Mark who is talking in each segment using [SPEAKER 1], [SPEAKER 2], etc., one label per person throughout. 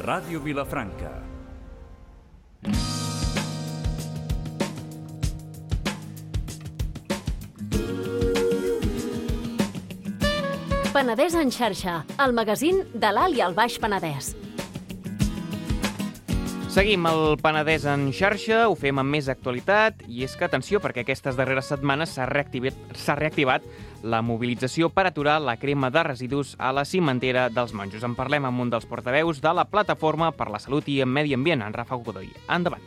[SPEAKER 1] Ràdio Vilafranca.
[SPEAKER 2] Penedès en xarxa, el magazín de l'Alt i el Baix Penedès.
[SPEAKER 3] Seguim el Penedès en xarxa, ho fem amb més actualitat i és que, atenció, perquè aquestes darreres setmanes s'ha reactivat la mobilització per aturar la crema de residus a la cimentera dels Monjos. En parlem amb un dels portaveus de la Plataforma per la Salut i el Medi Ambient, en Rafa Godoy. Endavant.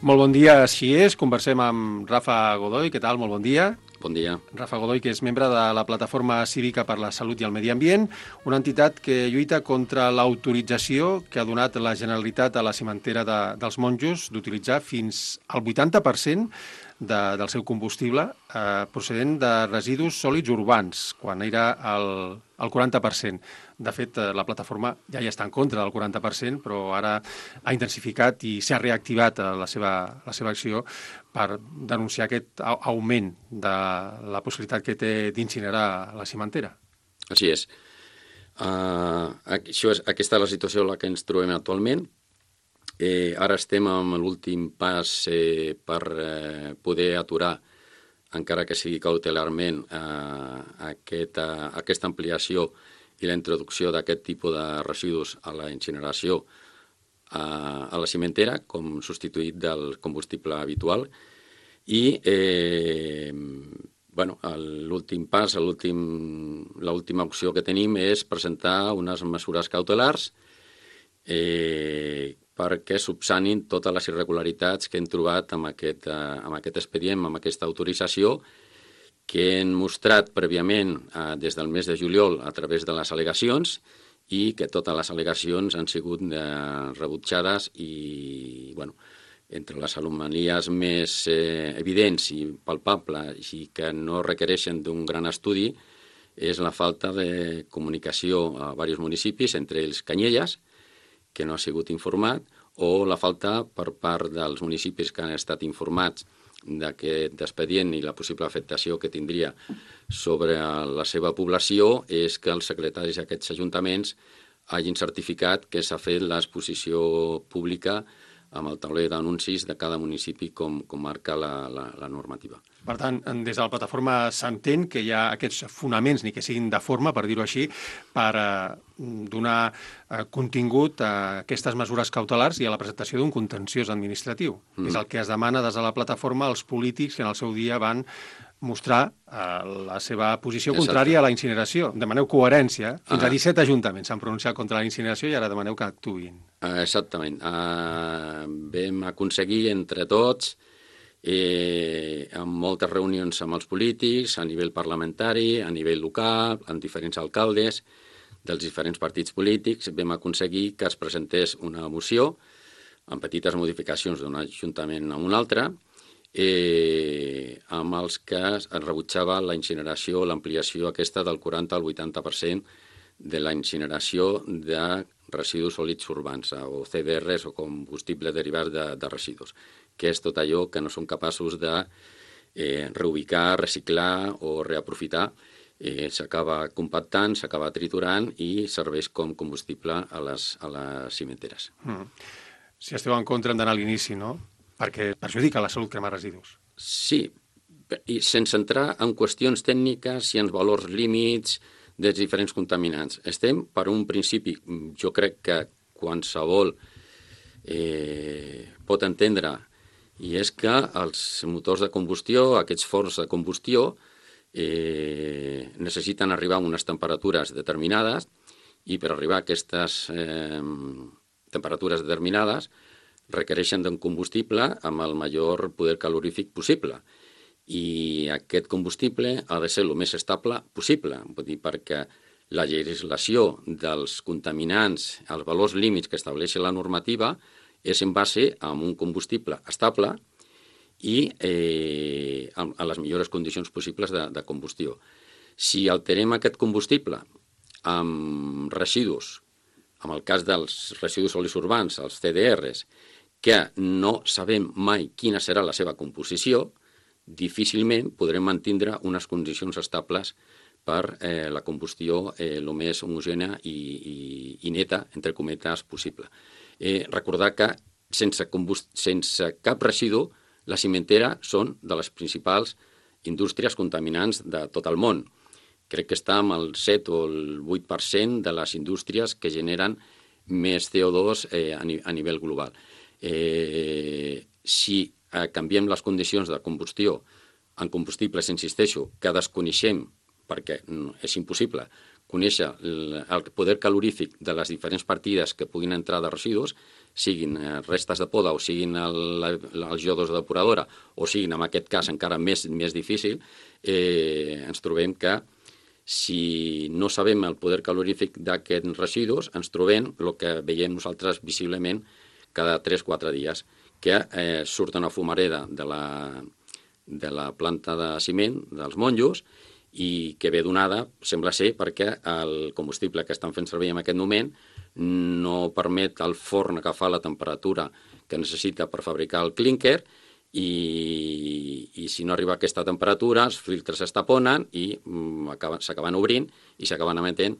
[SPEAKER 4] Molt bon dia, així és. Conversem amb Rafa Godoy. Què tal? Molt bon dia.
[SPEAKER 5] Bon dia.
[SPEAKER 4] Rafa Godoy, que és membre de la Plataforma Cívica per la Salut i el Medi Ambient, una entitat que lluita contra l'autorització que ha donat la Generalitat a la cimentera dels Monjos d'utilitzar fins al 80% del seu combustible procedent de residus sòlids urbans, quan era el 40%. De fet, la plataforma ja hi està en contra del 40%, però ara ha intensificat i s'ha reactivat la seva acció per denunciar aquest augment de la possibilitat que té d'incinerar la cimentera.
[SPEAKER 5] Així és. Aquesta és la situació en la que ens trobem actualment. Ara estem amb l'últim pas per poder aturar, encara que sigui cautelarment, aquesta ampliació i la introducció d'aquest tipus de residus a la incineració a la cimentera com substituït del combustible habitual. I l'últim pas, l'última opció que tenim és presentar unes mesures cautelars perquè subsanin totes les irregularitats que hem trobat amb aquest expedient, amb aquesta autorització, que hem mostrat prèviament des del mes de juliol a través de les al·legacions i que totes les al·legacions han sigut rebutjades i, entre les anomalies més evidents i palpables i que no requereixen d'un gran estudi és la falta de comunicació a diversos municipis, entre ells Canyelles, que no ha sigut informat, o la falta per part dels municipis que han estat informats d'aquest expedient i la possible afectació que tindria sobre la seva població és que els secretaris d'aquests ajuntaments hagin certificat que s'ha fet l'exposició pública amb el tauler d'anuncis de cada municipi com marca la normativa.
[SPEAKER 4] Per tant, des de la plataforma s'entén que hi ha aquests fonaments, ni que siguin de forma, per dir-ho així, per donar contingut a aquestes mesures cautelars i a la presentació d'un contenciós administratiu. És el que es demana des de la plataforma als polítics que en el seu dia van mostrar la seva posició contrària a la incineració. Demaneu coherència. Fins a 17 ajuntaments s'han pronunciat contra la incineració i ara demaneu que actuïn.
[SPEAKER 5] Exactament. Vam aconseguir entre tots, amb moltes reunions amb els polítics, a nivell parlamentari, a nivell local, amb diferents alcaldes dels diferents partits polítics, vam aconseguir que es presentés una moció amb petites modificacions d'un ajuntament a un altre, amb els que es rebutjava la incineració, l'ampliació aquesta del 40 al 80% de la incineració de residus sòlids urbans, o CDRs, o combustible derivat de residus, que és tot allò que no són capaços de reubicar, reciclar o reaprofitar. S'acaba compactant, s'acaba triturant i serveix com combustible a les cimenteres.
[SPEAKER 4] Si esteu en contra hem d'anar a l'inici, no? Perquè perjudica la salut cremar residus.
[SPEAKER 5] Sí, i sense entrar en qüestions tècniques i en valors límits dels diferents contaminants. Estem per un principi, jo crec que qualsevol pot entendre, i és que els motors de combustió, aquests forns de combustió, necessiten arribar a unes temperatures determinades i per arribar a aquestes temperatures determinades requereixen d'un combustible amb el major poder calorífic possible. I aquest combustible ha de ser el més estable possible, vull dir, perquè la legislació dels contaminants, els valors límits que estableix la normativa, és en base a un combustible estable i a les millors condicions possibles de combustió. Si alterem aquest combustible amb residus, en el cas dels residus sòlids urbans, els CDRs, que no sabem mai quina serà la seva composició, difícilment podrem mantindre unes condicions estables per la combustió el més homogènia i neta, entre cometes, possible. Recordar que sense cap residu, la cimentera són de les principals indústries contaminants de tot el món. Crec que està amb el 7 o el 8% de les indústries que generen més CO2 a nivell global. Si canviem les condicions de combustió en combustibles, insisteixo, que desconeixem, perquè és impossible conèixer el poder calorífic de les diferents partides que puguin entrar de residus, siguin restes de poda o siguin els iodos de depuradora o siguin, en aquest cas, encara més difícil, ens trobem que si no sabem el poder calorífic d'aquests residus, ens trobem el que veiem nosaltres visiblement cada 3-4 dies, que surt una fumareda de la planta de ciment dels monjos i que ve donada, sembla ser, perquè el combustible que estan fent servir en aquest moment no permet al forn agafar la temperatura que necessita per fabricar el clínquer i si no arriba a aquesta temperatura els filtres es taponen i s'acaben obrint i s'acaben emetent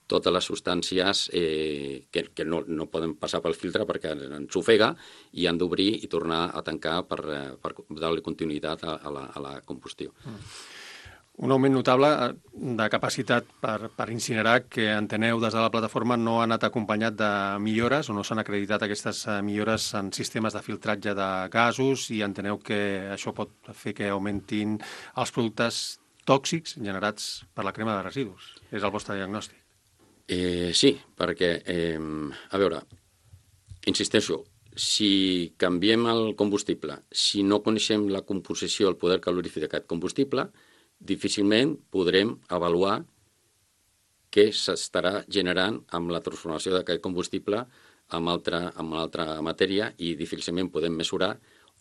[SPEAKER 5] totes les substàncies que no poden passar pel filtre perquè ens ofega i han d'obrir i tornar a tancar per dar-li continuïtat a la combustió.
[SPEAKER 4] Un augment notable de capacitat per incinerar que enteneu des de la plataforma no ha anat acompanyat de millores o no s'han acreditat aquestes millores en sistemes de filtratge de gasos i enteneu que això pot fer que augmentin els productes tòxics generats per la crema de residus. És el vostre diagnòstic.
[SPEAKER 5] Sí, perquè, a veure, insisteixo, si canviem el combustible, si no coneixem la composició, el poder calorífic d'aquest combustible, difícilment podrem avaluar què s'estarà generant amb la transformació d'aquest combustible amb altra matèria i difícilment podem mesurar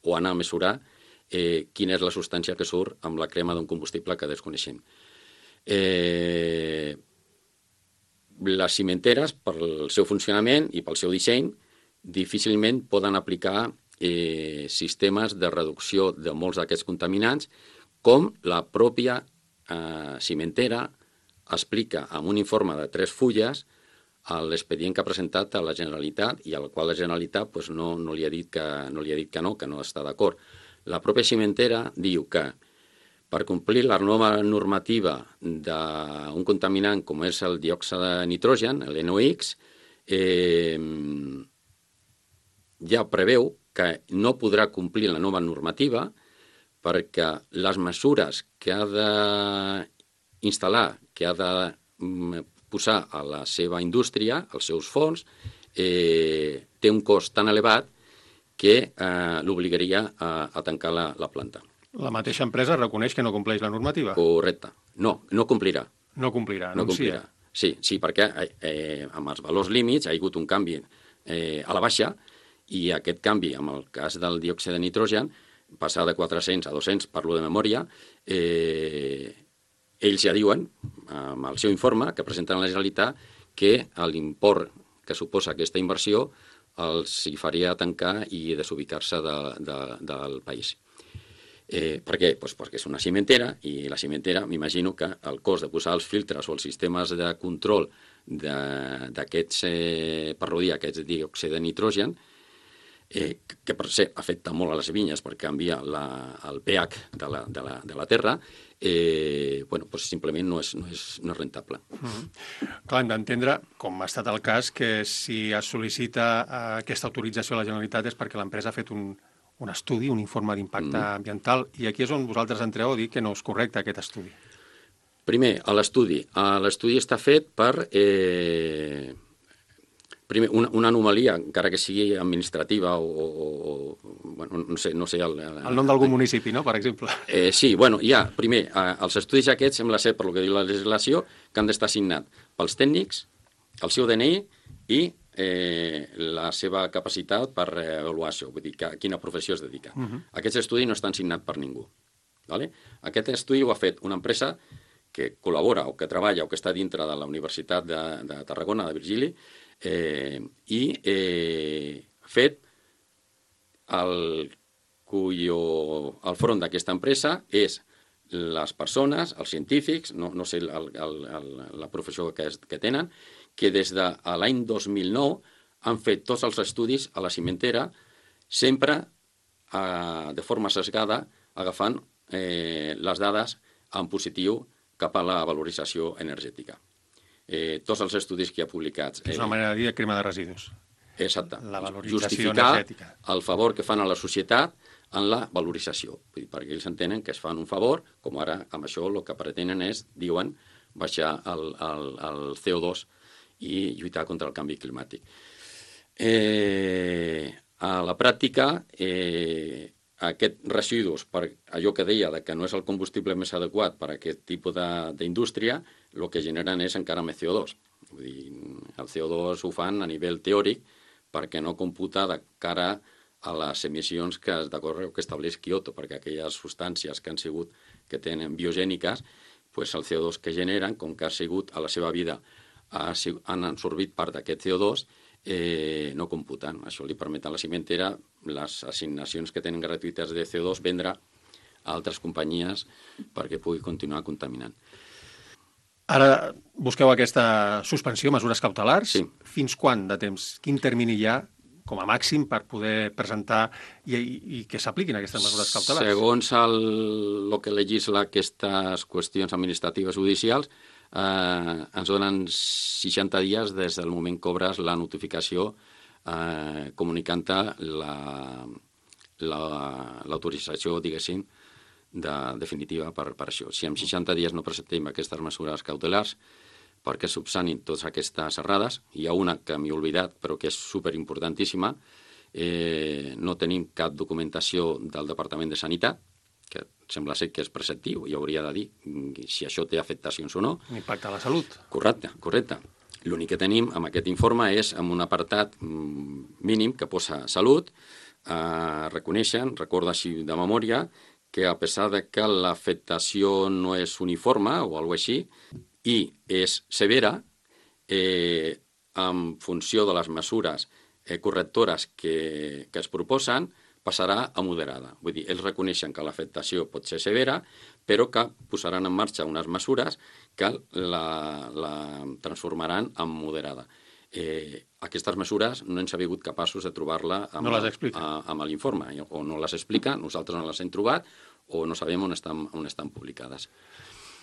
[SPEAKER 5] o anar a mesurar quina és la substància que surt amb la crema d'un combustible que desconeixem. Les cimenteres, pel seu funcionament i pel seu disseny, difícilment poden aplicar sistemes de reducció de molts d'aquests contaminants com la pròpia cimentera explica en un informe de 3 fulles l'expedient que ha presentat a la Generalitat i al qual la Generalitat no li ha dit que no està d'acord. La pròpia cimentera diu que per complir la nova normativa d'un contaminant com és el diòxid de nitrogen, el NOx, ja preveu que no podrà complir la nova normativa perquè les mesures que ha d'instal·lar, que ha de posar a la seva indústria, als seus forns, té un cost tan elevat que l'obligaria a tancar la planta.
[SPEAKER 4] La mateixa empresa reconeix que no compleix la normativa?
[SPEAKER 5] Correcte. No complirà.
[SPEAKER 4] No complirà,
[SPEAKER 5] no complirà. Sí, perquè amb els valors límits ha hagut un canvi a la baixa i aquest canvi, en el cas del diòxid de nitrogen, passar de 400 a 200, parlo de memòria, ells ja diuen, amb el seu informe, que presenten a la Generalitat, que l'import que suposa aquesta inversió els hi faria tancar i desubicar-se del país. Per què? Perquè és una cimentera i la cimentera, m'imagino que el cost de posar els filtres o els sistemes de control d'aquests, per rodir aquests diòxid de nitrogen, que per ser afecta molt a les vinyes perquè canvia el pH de la terra, simplement no és rentable.
[SPEAKER 4] Clar, hem d'entendre, com ha estat el cas, que si es sol·licita aquesta autorització a la Generalitat és perquè l'empresa ha fet un estudi, un informe d'impacte ambiental, i aquí és on vosaltres entreu a dir que no és correcte aquest estudi.
[SPEAKER 5] Primer, l'estudi està fet per... Primer, una anomalia, encara que sigui administrativa o no sé...
[SPEAKER 4] El nom d'algun municipi, no?, per exemple.
[SPEAKER 5] Sí, primer, els estudis aquests sembla ser, per lo que diu la legislació, que han d'estar signats pels tècnics, el seu DNI i la seva capacitat per avaluar això, vull dir, a quina professió es dedica. Aquests estudis no estan signats per ningú. Aquest estudi ho ha fet una empresa que col·labora o que treballa o que està dintre de la Universitat de Tarragona, de Virgili, i fet el front d'aquesta empresa és les persones, els científics, no sé la professió que tenen, que des de l'any 2009 han fet tots els estudis a la cimentera, sempre de forma sesgada, agafant les dades en positiu cap a la valorització energètica. Tots els estudis que hi ha publicats...
[SPEAKER 4] És una manera de dir crema de residus.
[SPEAKER 5] Exacte.
[SPEAKER 4] La valorització
[SPEAKER 5] justificar
[SPEAKER 4] energètica.
[SPEAKER 5] El favor que fan a la societat en la valorització. Vull dir, perquè ells entenen que es fan un favor, com ara amb això el que pretenen és, diuen, baixar el CO2 i lluitar contra el canvi climàtic. A la pràctica, aquests residus, per allò que deia que no és el combustible més adequat per a aquest tipus d'indústria, el que generen és encara més CO2. Vull dir, el CO2 ho fan a nivell teòric perquè no computa de cara a les emissions que estableix Kyoto, perquè aquelles substàncies que han sigut, que tenen biogèniques, pues el CO2 que generen, com que ha sigut a la seva vida, han absorbit part d'aquest CO2, no computen. Això li permet a la cimentera les assignacions que tenen gratuïtes de CO2 vendre a altres companyies perquè pugui continuar contaminant.
[SPEAKER 4] Ara busqueu aquesta suspensió, mesures cautelars.
[SPEAKER 5] Sí.
[SPEAKER 4] Fins quan de temps? Quin termini hi ha, com a màxim, per poder presentar i que s'apliquin aquestes mesures cautelars?
[SPEAKER 5] Segons el que legisla aquestes qüestions administratives judicials, ens donen 60 dies des del moment que obres la notificació comunicant l'autorització, diguéssim, definitiva per això. Si en 60 dies no presentem aquestes mesures cautelars perquè subsanin totes aquestes errades, hi ha una que m'he oblidat però que és superimportantíssima, no tenim cap documentació del Departament de Sanitat, que sembla ser que és preceptiu i hauria de dir si això té afectacions o no.
[SPEAKER 4] L'impacte a la salut.
[SPEAKER 5] Correcte. L'únic que tenim amb aquest informe és amb un apartat mínim que posa salut, reconeixen, recorda així de memòria, que a pesar de que l'afectació no és uniforme o alguna cosa així, i és severa, en funció de les mesures correctores que es proposen, passarà a moderada. Vull dir, ells reconeixen que l'afectació pot ser severa, però que posaran en marxa unes mesures que la transformaran en moderada. Aquestes mesures no hem sigut capaços de trobar-la amb l'informe, o no les explica, nosaltres no les hem trobat, o no sabem on estan publicades.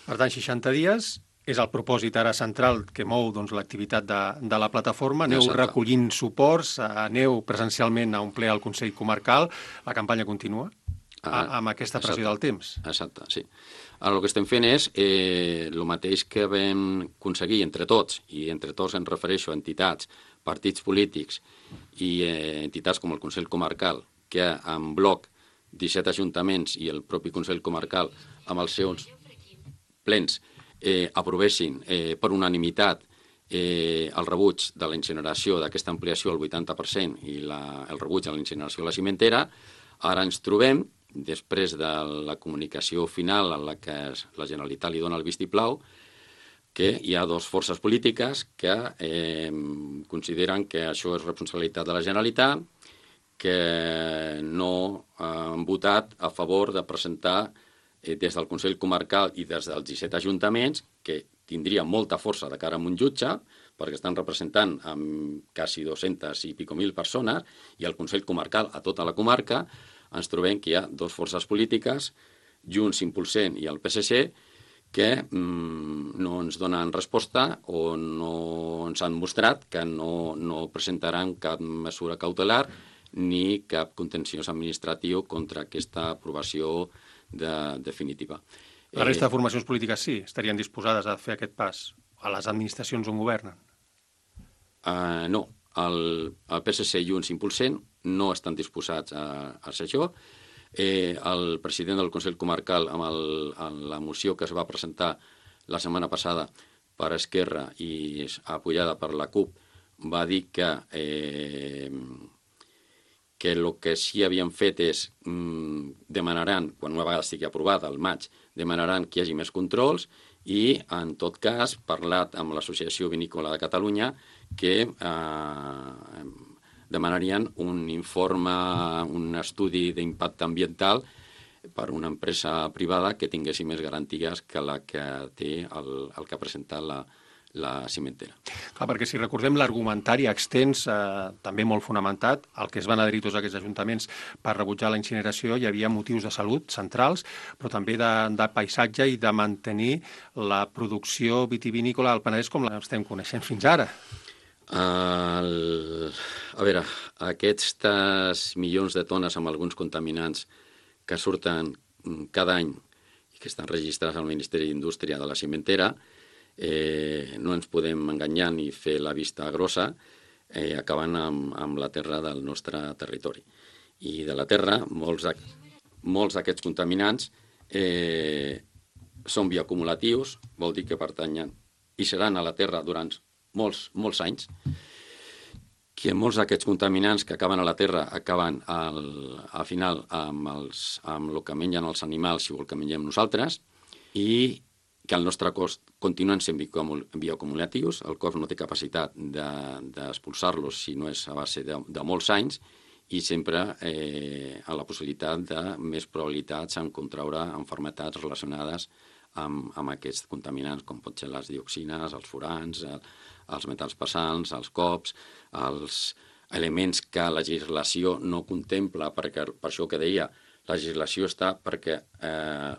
[SPEAKER 4] Per tant, 60 dies és el propòsit ara central que mou l'activitat de la plataforma. Aneu recollint suports, aneu presencialment a un ple al Consell Comarcal. La campanya continua amb aquesta pressió del temps.
[SPEAKER 5] Exacte, sí. Ara el que estem fent és el mateix que vam aconseguir entre tots, i entre tots em refereixo a entitats, partits polítics i entitats com el Consell Comarcal, que en bloc 17 ajuntaments i el propi Consell Comarcal amb els seus plens aprovessin per unanimitat el rebuig de la incineració d'aquesta ampliació al 80% i el rebuig a la incineració de la cimentera. Ara ens trobem, després de la comunicació final en la que la Generalitat li dona el vistiplau, que hi ha dues forces polítiques que consideren que això és responsabilitat de la Generalitat, que no han votat a favor de presentar des del Consell Comarcal i des dels 17 ajuntaments, que tindria molta força de cara a un jutge, perquè estan representant amb quasi 200 i pico mil persones, i el Consell Comarcal a tota la comarca, ens trobem que hi ha dues forces polítiques, Junts, Impulsem i el PSC, que no ens donen resposta o no ens han mostrat que no presentaran cap mesura cautelar ni cap contenciós administratiu contra aquesta aprovació definitiva.
[SPEAKER 4] La resta de formacions polítiques sí, estarien disposades a fer aquest pas a les administracions on governen?
[SPEAKER 5] No, el PSC i Junts Impulsem no estan disposats a fer això. El president del Consell Comarcal, amb la moció que es va presentar la setmana passada per Esquerra i apoyada per la CUP, va dir que el que sí havien fet és demanaran, quan una vegada estigui aprovada al maig, demanaran que hi hagi més controls i, en tot cas, parlat amb l'Associació Vinícola de Catalunya que demanarien un informe, un estudi d'impacte ambiental per una empresa privada que tinguessi més garanties que la que té el que ha presentat la cimentera.
[SPEAKER 4] Clar, perquè si recordem l'argumentari extens, també molt fonamentat, al que es van adherir tots aquests ajuntaments per rebutjar la incineració, hi havia motius de salut centrals, però també de paisatge i de mantenir la producció vitivinícola al Penedès com l'estem coneixent fins ara.
[SPEAKER 5] A veure, aquests milions de tones amb alguns contaminants que surten cada any i que estan registrats al Ministeri d'Indústria de la cimentera, no ens podem enganyar ni fer la vista grossa, acabant amb la terra del nostre territori. I de la terra, molts d'aquests contaminants són bioacumulatius, vol dir que pertanyen i seran a la terra durant molts anys, que molts d'aquests contaminants que acaben a la terra acaben al final amb el que mengen els animals i el que mengem nosaltres, i que al nostre cos continuen sent bioacumulatius, el cos no té capacitat d'expulsar-los si no és a base de molts anys, i sempre a la possibilitat de més probabilitats en contraure malalties relacionades amb aquests contaminants, com pot ser les dioxines, els furans, els metalls pesants, els cops, els elements que la legislació no contempla, perquè per això que deia, la legislació està perquè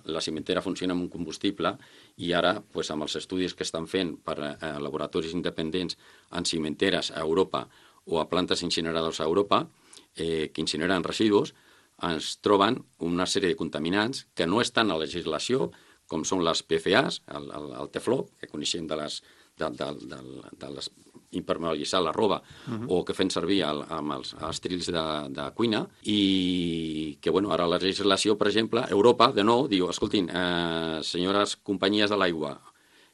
[SPEAKER 5] la cimentera funciona amb un combustible, i ara, amb els estudis que estan fent per laboratoris independents en cimenteres a Europa o a plantes incineradores a Europa, que incineren residus, ens troben una sèrie de contaminants que no estan a la legislació, com són les PFAs, el tefló, que coneixem de impermeabilitzar la roba, o que fem servir amb els trills de cuina, i que ara la legislació, per exemple, Europa, de nou, diu, escoltin, senyores companyies de l'aigua,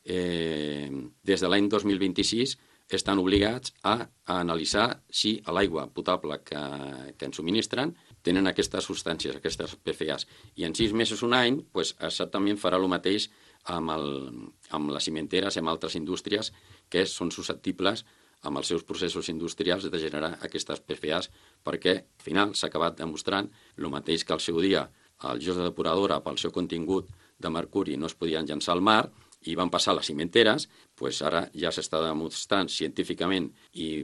[SPEAKER 5] des de l'any 2026 estan obligats a analitzar si a l'aigua potable que ens subministren tenen aquestes substàncies, aquestes PFAs. I en 6 mesos, un any, exactament farà el mateix amb les cimenteres i amb altres indústries que són susceptibles amb els seus processos industrials de generar aquestes PFAs, perquè al final s'ha acabat demostrant el mateix que al seu dia els jocs de depuradora pel seu contingut de mercuri no es podien llançar al mar i van passar a les cimenteres, ara ja s'està demostrant científicament i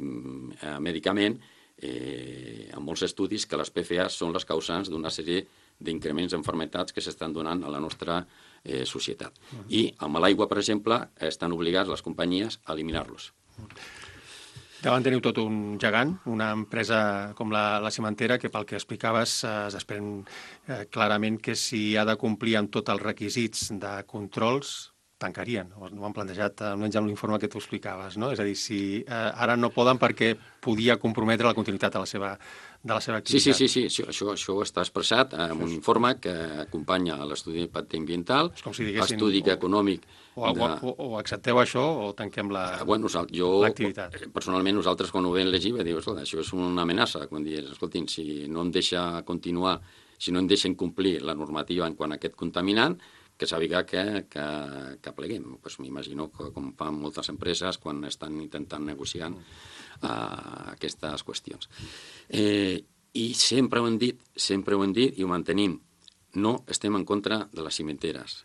[SPEAKER 5] mèdicament en molts estudis que les PFAs són les causants d'una sèrie d'increments d'enfermetats que s'estan donant a la nostra societat. I amb l'aigua, per exemple, estan obligats les companyies a eliminar-los.
[SPEAKER 4] Davant teniu tot un gegant, una empresa com la cimentera, que pel que explicaves es desprèn clarament que si ha de complir amb tots els requisits de controls, tancarien. No ho han plantejat, almenys amb l'informe que tu explicaves, no? És a dir, si ara no poden perquè podia comprometre la continuïtat de la seva activitat.
[SPEAKER 5] Sí, això està expressat en un informe que acompanya l'estudi d'impacte ambiental, l'estudi econòmic.
[SPEAKER 4] O accepteu això o tanquem l'activitat.
[SPEAKER 5] Personalment, nosaltres, quan ho vam llegir, vam dir, escolta, això és una amenaça. Quan dius, escoltin, si no em deixa continuar, si no em deixen complir la normativa en quant a aquest contaminant, que sàpiga que pleguem. M'imagino que com fan moltes empreses quan estan intentant negociar aquestes qüestions. I sempre ho hem dit i ho mantenim. No estem en contra de les cimenteres.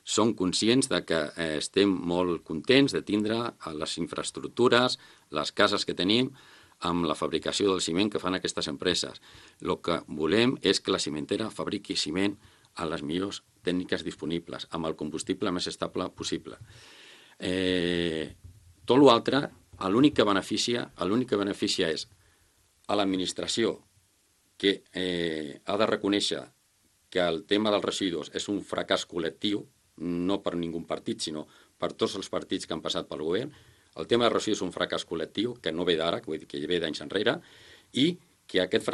[SPEAKER 5] Som conscients de que estem molt contents de tindre les infraestructures, les cases que tenim, amb la fabricació del ciment que fan aquestes empreses. El que volem és que la cimentera fabriqui ciment a les millors tècniques disponibles, amb el combustible més estable possible. Tot l'altre, l'únic que beneficia és a l'administració, que ha de reconèixer que el tema dels residus és un fracàs col·lectiu, no per ningú partit, sinó per tots els partits que han passat pel govern. El tema dels residus és un fracàs col·lectiu, que no ve d'ara, que ve d'anys enrere, i que aquest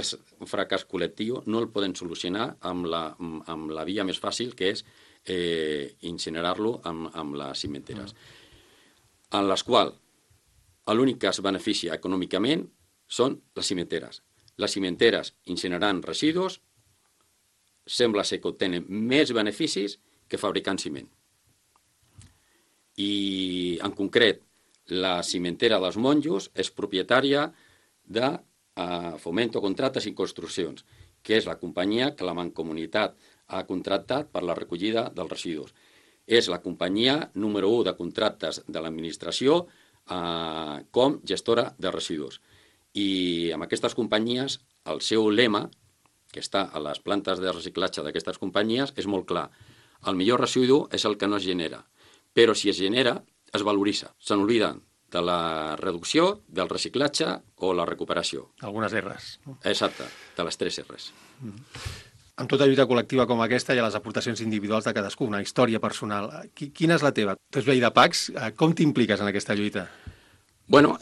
[SPEAKER 5] fracàs col·lectiu no el poden solucionar amb la via més fàcil, que és incinerar-lo amb les cimenteres, en les quals l'únic que es beneficia econòmicament són les cimenteres. Les cimenteres incinerant residus sembla ser que obtenen més beneficis que fabricant ciment. I, en concret, la cimentera dels Monjos és propietària de Fomento Contractes i Construccions, que és la companyia que la Mancomunitat ha contractat per la recollida dels residus. És la companyia número 1 de contractes de l'administració com gestora de residus. I amb aquestes companyies, el seu lema, que està a les plantes de reciclatge d'aquestes companyies, és molt clar. El millor residu és el que no es genera, però si es genera, es valoritza. Se n'obliden de la reducció, del reciclatge o la recuperació.
[SPEAKER 4] Algunes R's.
[SPEAKER 5] Exacte, de les 3 R's.
[SPEAKER 4] Amb tota lluita col·lectiva com aquesta hi ha les aportacions individuals de cadascú, una història personal. Quina és la teva? Tu ets veí de Pacs, com t'impliques en aquesta lluita?
[SPEAKER 5] Bueno,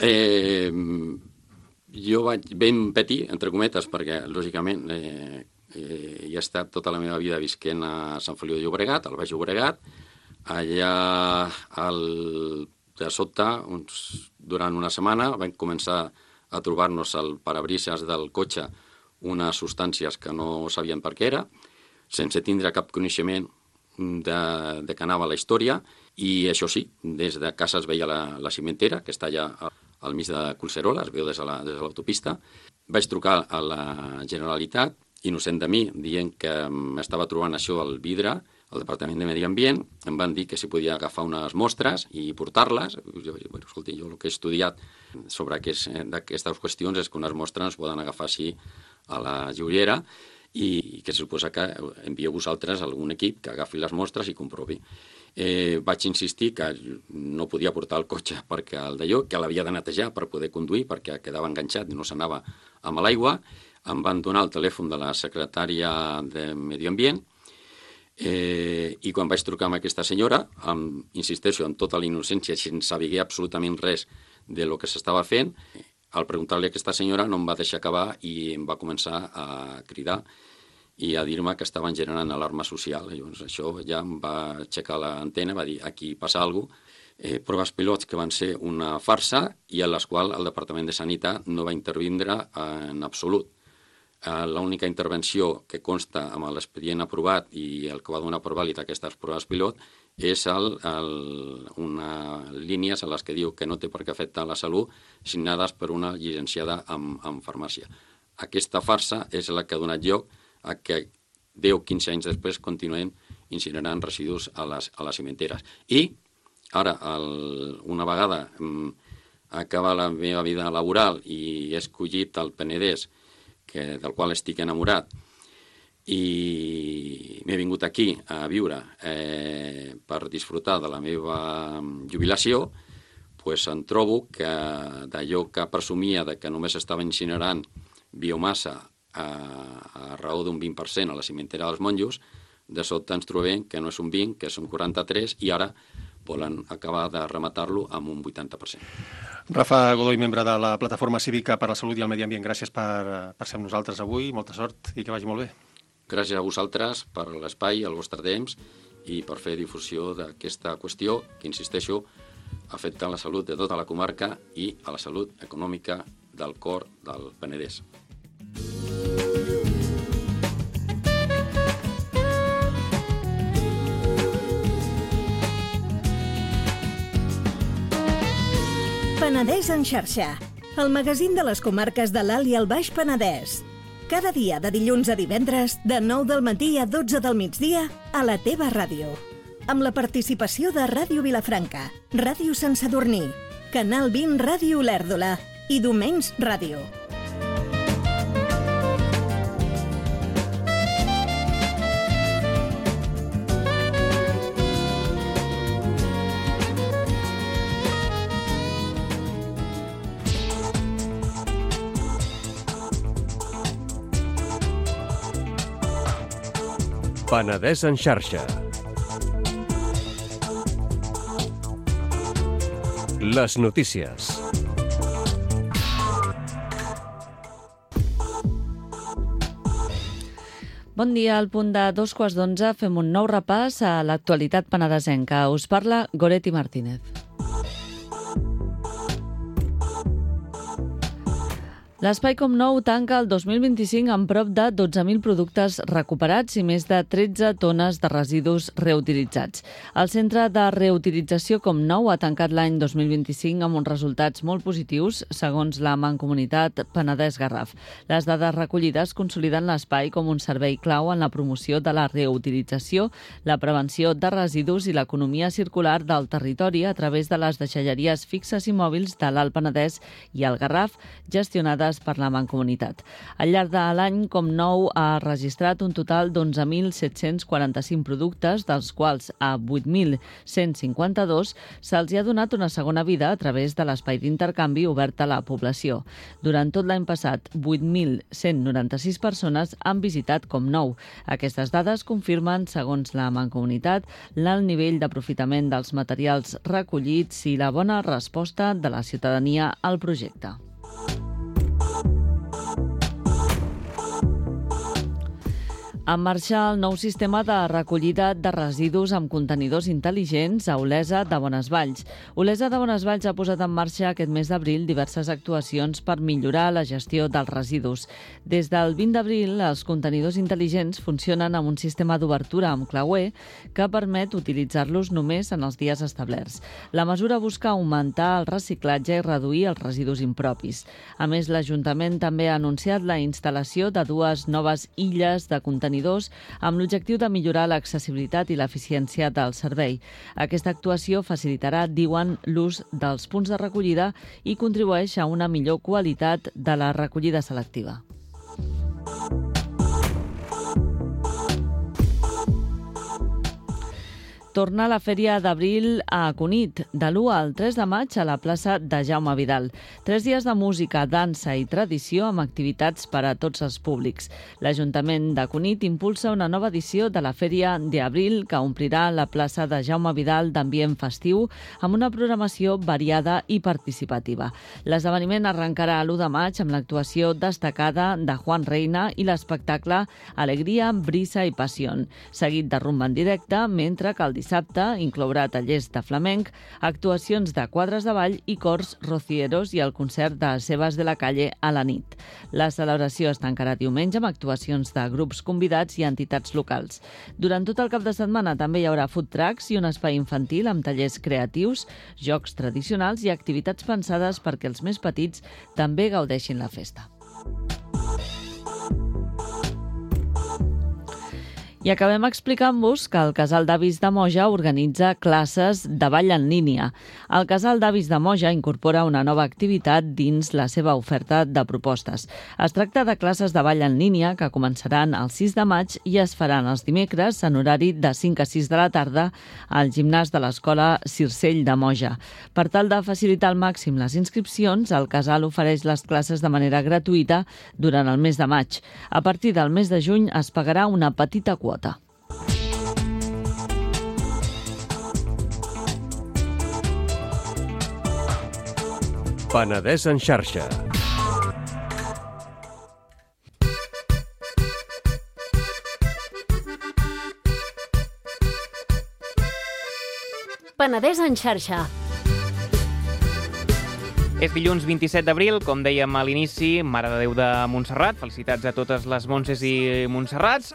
[SPEAKER 5] jo vaig ben petit, entre cometes, perquè, lògicament, he estat tota la meva vida visquent a Sant Feliu de Llobregat, al Baix Llobregat. Allà, de sobte, durant una setmana, vam començar a trobar-nos al parabrises del cotxe unes substàncies que no sabien per què era, sense tindre cap coneixement de què anava la història, i això sí, des de casa es veia la cimentera, que està allà al mig de Collserola, es veu des de l'autopista. Vaig trucar a la Generalitat, innocent de mi, dient que m'estava trobant això al vidre, al Departament de Medi Ambient. Em van dir que si podia agafar unes mostres i portar-les. Jo vaig dir, bueno, escolti, jo el que he estudiat sobre aquestes qüestions és que unes mostres no es poden agafar així a la joiera i que se suposa que envieu vosaltres algun equip que agafi les mostres i comprovi. Vaig insistir que no podia portar el cotxe perquè el d'allò, que l'havia de netejar per poder conduir perquè quedava enganxat i no s'anava amb l'aigua. Em van donar el telèfon de la secretària de Medi Ambient i quan vaig trucar amb aquesta senyora, insisteixo, amb tota la innocència, sense saber absolutament res de lo que s'estava fent, al preguntar-li a aquesta senyora no em va deixar acabar i em va començar a cridar i a dir-me que estaven generant alarma social. Llavors això ja em va aixecar l'antena, va dir, aquí passa alguna cosa. Proves pilots que van ser una farsa i en les quals el Departament de Sanitat no va intervindre en absolut. L'única intervenció que consta amb l'expedient aprovat i el que va donar per vàlid aquestes proves pilot és unes línies en les que diu que no té per què afectar la salut signades per una llicenciada en farmàcia. Aquesta farsa és la que ha donat lloc a que 10 o 15 anys després continuem incinerant residus a les cimenteres. I ara, una vegada acaba la meva vida laboral i he escollit el Penedès, del qual estic enamorat, i m'he vingut aquí a viure per disfrutar de la meva jubilació, doncs em trobo que d'allò que presumia de que només estava incinerant biomassa a raó d'un 20% a la cimentera dels Monjos, de sobte ens trobem que no és un 20, que són 43, i ara volen acabar de rematar-lo amb un 80%.
[SPEAKER 4] Rafa Godoy, membre de la Plataforma Cívica per la Salut i el Medi Ambient, gràcies per ser amb nosaltres avui, molta sort i que vagi molt bé.
[SPEAKER 5] Gràcies a vosaltres per l'espai, el vostre temps i per fer difusió d'aquesta qüestió que, insisteixo, afecta la salut de tota la comarca i a la salut econòmica del cor del Penedès.
[SPEAKER 6] Penedès en xarxa, el magazín de les comarques de l'Alt i el Baix Penedès. Cada dia de dilluns a divendres, de 9 del matí a 12 del migdia, a la teva ràdio. Amb la participació de Ràdio Vilafranca, Ràdio Sant Sadurní, Canal 20 Ràdio Olèrdola i Domenys Ràdio.
[SPEAKER 7] Penedès en xarxa. Les notícies.
[SPEAKER 8] Bon dia, al punt de 11:15 fem un nou repàs a l'actualitat penedesenca. Us parla Goretti Martínez. L'Espai Com Nou tanca el 2025 amb prop de 12.000 productes recuperats i més de 13 tones de residus reutilitzats. El Centre de Reutilització Com Nou ha tancat l'any 2025 amb uns resultats molt positius, segons la Mancomunitat Penedès-Garraf. Les dades recollides consoliden l'espai com un servei clau en la promoció de la reutilització, la prevenció de residus i l'economia circular del territori a través de les deixalleries fixes i mòbils de l'Alt Penedès i el Garraf, gestionades per la Mancomunitat. Al llarg de l'any, Com Nou ha registrat un total d'11.745 productes, dels quals a 8.152 se'ls ha donat una segona vida a través de l'espai d'intercanvi obert a la població. Durant tot l'any passat, 8.196 persones han visitat Com Nou. Aquestes dades confirmen, segons la Mancomunitat, l'alt nivell d'aprofitament dels materials recollits i la bona resposta de la ciutadania al projecte. En marxa el nou sistema de recollida de residus amb contenidors intel·ligents a Olesa de Bonesvalls. Olesa de Bonesvalls ha posat en marxa aquest mes d'abril diverses actuacions per millorar la gestió dels residus. Des del 20 d'abril, els contenidors intel·ligents funcionen amb un sistema d'obertura amb clauer que permet utilitzar-los només en els dies establerts. La mesura busca augmentar el reciclatge i reduir els residus impropis. A més, l'Ajuntament també ha anunciat la instal·lació de 2 noves illes de contenidors amb l'objectiu de millorar l'accessibilitat i l'eficiència del servei. Aquesta actuació facilitarà, diuen, l'ús dels punts de recollida i contribueix a una millor qualitat de la recollida selectiva. Torna la Fèria d'Abril a Cunit, de l'1 al 3 de maig a la plaça de Jaume Vidal. 3 dies de música, dansa i tradició amb activitats per a tots els públics. L'Ajuntament de Cunit impulsa una nova edició de la Fèria d'Abril que omplirà la plaça de Jaume Vidal d'ambient festiu amb una programació variada i participativa. L'esdeveniment arrencarà l'1 de maig amb l'actuació destacada de Juan Reina i l'espectacle Alegria, Brisa i Passió, seguit de rumba en directe, mentre que el dissabte inclourà tallers de flamenc, actuacions de quadres de ball i cors rocieros i el concert de Sebas de la Calle a la nit. La celebració es tancarà diumenge amb actuacions de grups convidats i entitats locals. Durant tot el cap de setmana també hi haurà food trucks i un espai infantil amb tallers creatius, jocs tradicionals i activitats pensades perquè els més petits també gaudeixin la festa. I acabem explicant-vos que el Casal d'Avis de Moja organitza classes de ball en línia. El Casal d'Avis de Moja incorpora una nova activitat dins la seva oferta de propostes. Es tracta de classes de ball en línia que començaran el 6 de maig i es faran els dimecres en horari de 5 a 6 de la tarda al gimnàs de l'Escola Circell de Moja. Per tal de facilitar al màxim les inscripcions, el Casal ofereix les classes de manera gratuïta durant el mes de maig. A partir del mes de juny es pagarà una petita quota.
[SPEAKER 7] Penedès en xarxa.
[SPEAKER 2] Penedès en xarxa.
[SPEAKER 3] És dilluns 27 d'abril, com dèiem a l'inici, Mare de Déu de Montserrat. Felicitats a totes les Montses i Montserrats.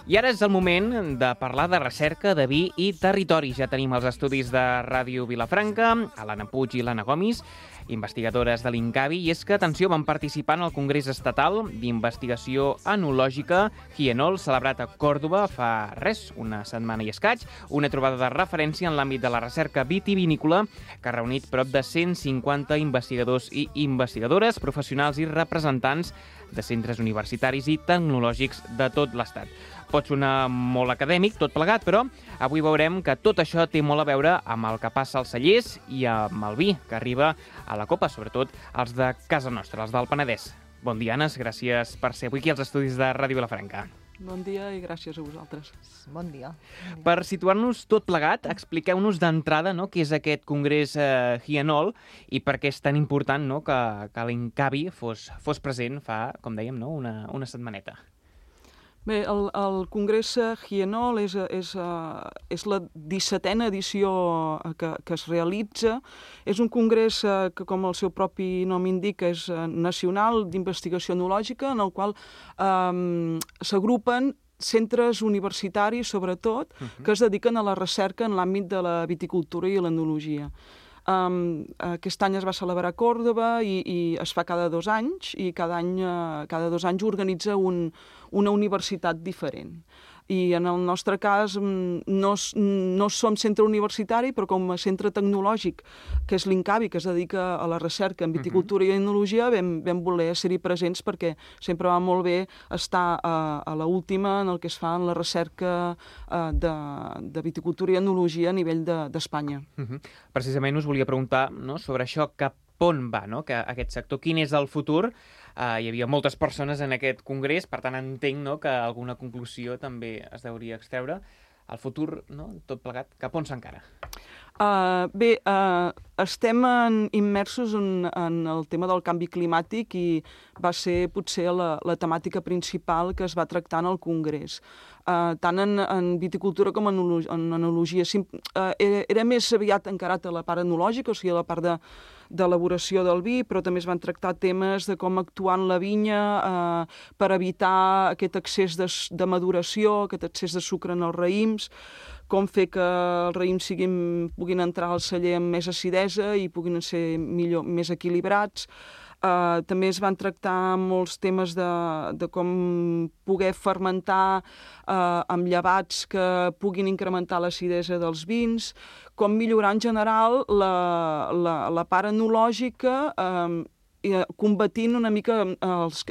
[SPEAKER 3] I ara és el moment de parlar de recerca, de vi i territori. Ja tenim els estudis de Ràdio Vilafranca, l'Anna Puig i l'Anna Gomis, investigadores de l'INCAVI, i és que, atenció, van participar en el Congrés Estatal d'Investigació Enològica Hienol, celebrat a Còrdova fa una setmana i escaig, una trobada de referència en l'àmbit de la recerca vitivinícola que ha reunit prop de 150 investigadors i investigadores, professionals i representants de centres universitaris i tecnològics de tot l'Estat. Pot sonar molt acadèmic, tot plegat, però avui veurem que tot això té molt a veure amb el que passa als cellers i amb el vi que arriba a la copa, sobretot els de casa nostra, els del Penedès. Bon dia, Anes, gràcies per ser avui aquí als estudis de Ràdio Vilafranca.
[SPEAKER 9] Bon dia i gràcies a vosaltres.
[SPEAKER 10] Bon dia.
[SPEAKER 3] Per situar-nos tot plegat, expliqueu-nos d'entrada, no, què és aquest Congrés Hienol i per què és tan important, no, que l'INCAVI fos present fa, com dèiem, no, una setmaneta.
[SPEAKER 9] Bé, el Congrés Hienol és la 17a edició que es realitza. És un congrés que, com el seu propi nom indica, és nacional d'investigació enològica, en el qual s'agrupen centres universitaris, sobretot, que es dediquen a la recerca en l'àmbit de la viticultura i l'enologia. Aquest any es va celebrar a Còrdova i es fa cada 2 anys, i cada 2 anys organitza una universitat diferent. I en el nostre cas no som centre universitari, però com a centre tecnològic, que és l'INCAVI, que es dedica a la recerca en viticultura i enologia, vam voler ser-hi presents perquè sempre va molt bé estar a l'última en el que es fa en la recerca de viticultura i enologia a nivell d'Espanya.
[SPEAKER 3] Precisament us volia preguntar, no, sobre això, cap on va, no, que aquest sector, quin és el futur? Hi havia moltes persones en aquest congrés, per tant entenc, no, que alguna conclusió també es deuria extreure. El futur, no, tot plegat, cap on s'encara?
[SPEAKER 9] Bé, estem immersos en el tema del canvi climàtic i va ser potser la temàtica principal que es va tractar en el congrés. Tant en viticultura com en enologia. Era més aviat encarat a la part enològica, o sigui, a la part d'elaboració del vi, però també es van tractar temes de com actuar en la vinya per evitar aquest excés de maduració, aquest excés de sucre en els raïms, com fer que els raïms puguin entrar al celler amb més acidesa i puguin ser més equilibrats. També es van tractar molts temes de com poder fermentar amb llevats que puguin incrementar l'acidesa dels vins, com millorar en general la part enològica, combatint una mica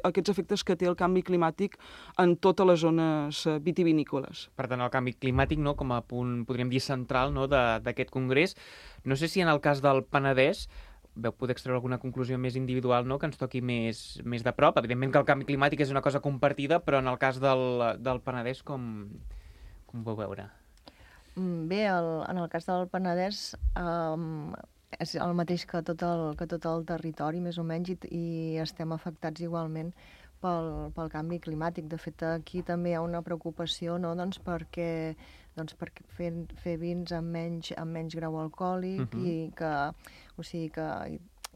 [SPEAKER 9] aquests efectes que té el canvi climàtic en totes les zones vitivinícoles.
[SPEAKER 3] Per tant, el canvi climàtic, no, com a punt, podríem dir, central, no, d'aquest congrés. No sé si en el cas del Penedès veu poder extreure alguna conclusió més individual, no, que ens toqui més de prop. Evidentment que el canvi climàtic és una cosa compartida, però en el cas del Penedès, com ho vau veure?
[SPEAKER 10] Bé, en el cas del Penedès és el mateix que tot el territori, més o menys, i estem afectats igualment pel canvi climàtic. De fet, aquí també hi ha una preocupació, no? perquè fer vins amb menys grau alcohòlic i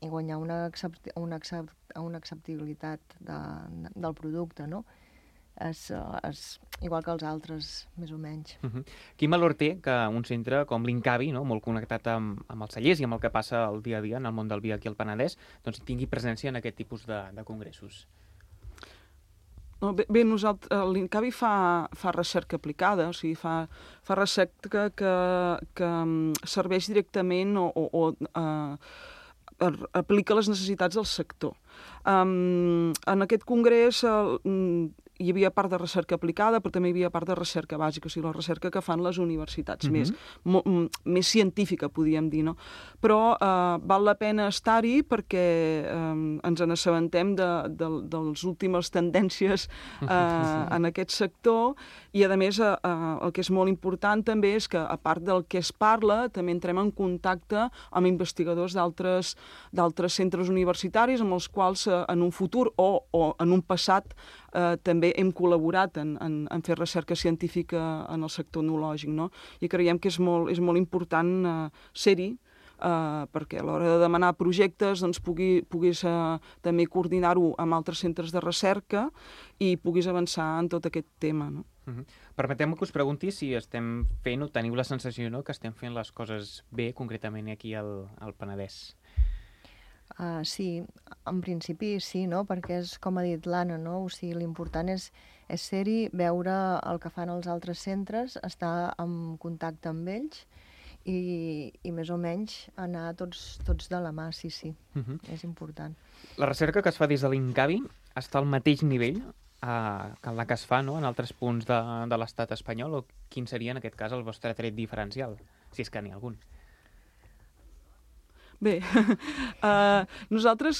[SPEAKER 10] guanyar una acceptabilitat del producte, no? És igual que els altres, més o menys.
[SPEAKER 3] Quin valor té que un centre com l'INCAVI, no, molt connectat amb els cellers i amb el que passa el dia a dia en el món del vi aquí al Penedès, doncs tingui presència en aquest tipus de congressos?
[SPEAKER 9] Bé, l'INCAVI fa recerca aplicada, o sigui, fa recerca que serveix directament o aplica les necessitats del sector. En aquest congrés hi havia part de recerca aplicada, però també hi havia part de recerca bàsica, o sigui, la recerca que fan les universitats, més científica, podríem dir, no? Però val la pena estar-hi perquè ens n'assabentem de les últimes tendències en aquest sector i, a més, el que és molt important també és que, a part del que es parla, també entrem en contacte amb investigadors d'altres centres universitaris amb els quals en un futur o en un passat també hem col·laborat en fer recerca científica en el sector enològic, no? I creiem que és molt important ser-hi, perquè a l'hora de demanar projectes doncs, puguis també coordinar-ho amb altres centres de recerca i puguis avançar en tot aquest tema, no?
[SPEAKER 3] Permeteu-me que us pregunti si estem fent o teniu la sensació, no, que estem fent les coses bé, concretament aquí al Penedès.
[SPEAKER 10] Sí, en principi sí, no? Perquè és com ha dit l'Anna, no? O sigui, l'important és ser-hi, veure el que fan els altres centres, estar en contacte amb ells i més o menys anar tots de la mà, sí, és important.
[SPEAKER 3] La recerca que es fa des de l'INCAVI està al mateix nivell que la que es fa, no, en altres punts de l'estat espanyol, o quin seria en aquest cas el vostre tret diferencial, si és que n'hi ha algun?
[SPEAKER 9] Bé, nosaltres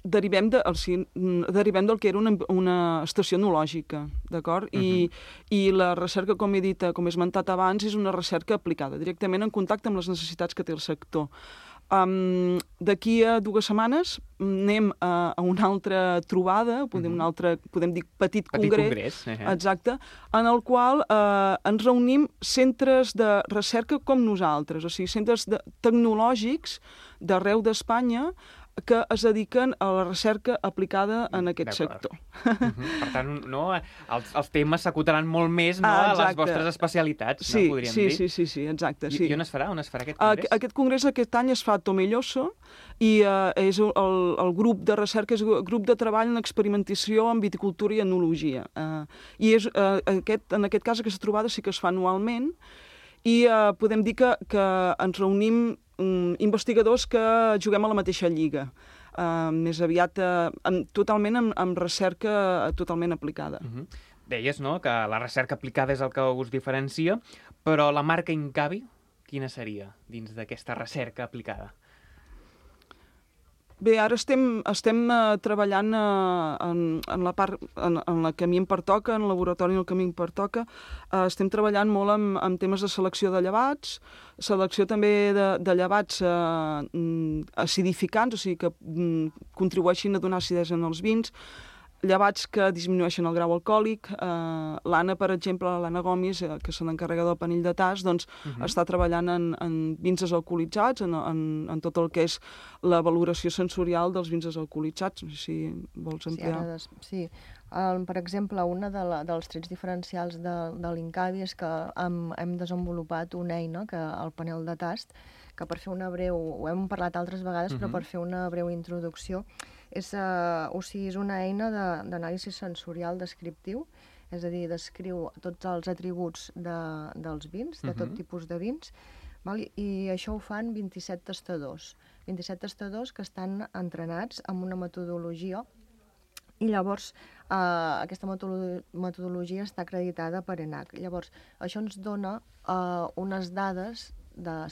[SPEAKER 9] derivem del que era una estació enològica, d'acord? I la recerca, com he dit, com he esmentat abans, és una recerca aplicada, directament en contacte amb les necessitats que té el sector. D'aquí a 2 setmanes anem a una altra trobada, podem dir petit congrés, exacte, en el qual ens reunim centres de recerca com nosaltres, o sigui, centres tecnològics d'arreu d'Espanya que es dediquen a la recerca aplicada en aquest sector.
[SPEAKER 3] Per tant, no, els temes s'acotaran molt més a les vostres especialitats, podríem dir.
[SPEAKER 9] Sí, exacte.
[SPEAKER 3] I on es farà? On es farà aquest congrés?
[SPEAKER 9] Aquest congrés aquest any es fa a Tomelloso i és el grup de recerca, és el grup de treball en experimentació en viticultura i enologia. I en aquest cas aquesta trobada sí que es fa anualment i podem dir que ens reunim investigadors que juguem a la mateixa lliga, més aviat totalment amb recerca totalment aplicada.
[SPEAKER 3] Deies, no?, que la recerca aplicada és el que us diferencia, però la marca Incavi, quina seria dins d'aquesta recerca aplicada?
[SPEAKER 9] Bé, ara estem treballant en la part en la que a mi em pertoca, en el laboratori en el que a mi em pertoca. Estem treballant molt amb temes de selecció de llevats, selecció també de llevats acidificants, o sigui que contribueixin a donar acidesa en els vins, llevats que disminueixen el grau alcohòlic. L'Anna, per exemple, l'Anna Gomis, que se n'encarrega del panell de tas, doncs està treballant en vins desalcoholitzats, en tot el que és la valoració sensorial dels vins desalcoholitzats. No sé si vols ampliar.
[SPEAKER 10] Sí. Per exemple, un dels trets diferencials de l'Incavi és que hem desenvolupat una eina, el panel de tast, que per fer una breu, ho hem parlat altres vegades, però per fer una breu introducció, és una eina d'anàlisi sensorial descriptiu, és a dir, descriu tots els atributs dels vins, de tot tipus de vins, i això ho fan 27 tastadors. 27 tastadors que estan entrenats amb una metodologia i llavors aquesta metodologia està acreditada per ENAC. Llavors, això ens dona unes dades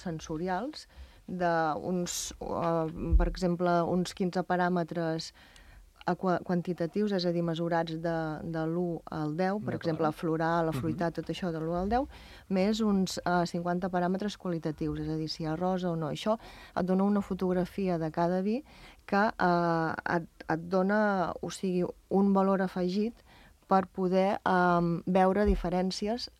[SPEAKER 10] sensorials per exemple, uns 15 paràmetres quantitatius, és a dir, mesurats de l'1 al 10, per exemple, floral, la fruitat, tot això de l'1 al 10, més uns 50 paràmetres qualitatius, és a dir, si hi ha rosa o no. Això et dona una fotografia de cada vi que et dona, o sigui, un valor afegit per poder veure diferències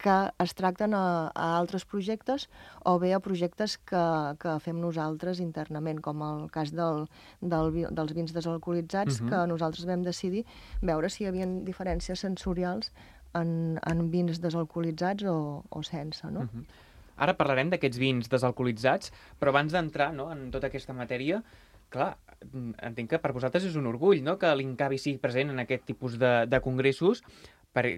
[SPEAKER 10] que es tracten a altres projectes o bé a projectes que fem nosaltres internament, com el cas dels vins desalcoholitzats, que nosaltres vam decidir veure si hi havia diferències sensorials en vins desalcoholitzats o sense, no?
[SPEAKER 3] Ara parlarem d'aquests vins desalcoholitzats, però abans d'entrar en tota aquesta matèria, clar, entenc que per vosaltres és un orgull, no?, que l'Incavi sigui present en aquest tipus de congressos.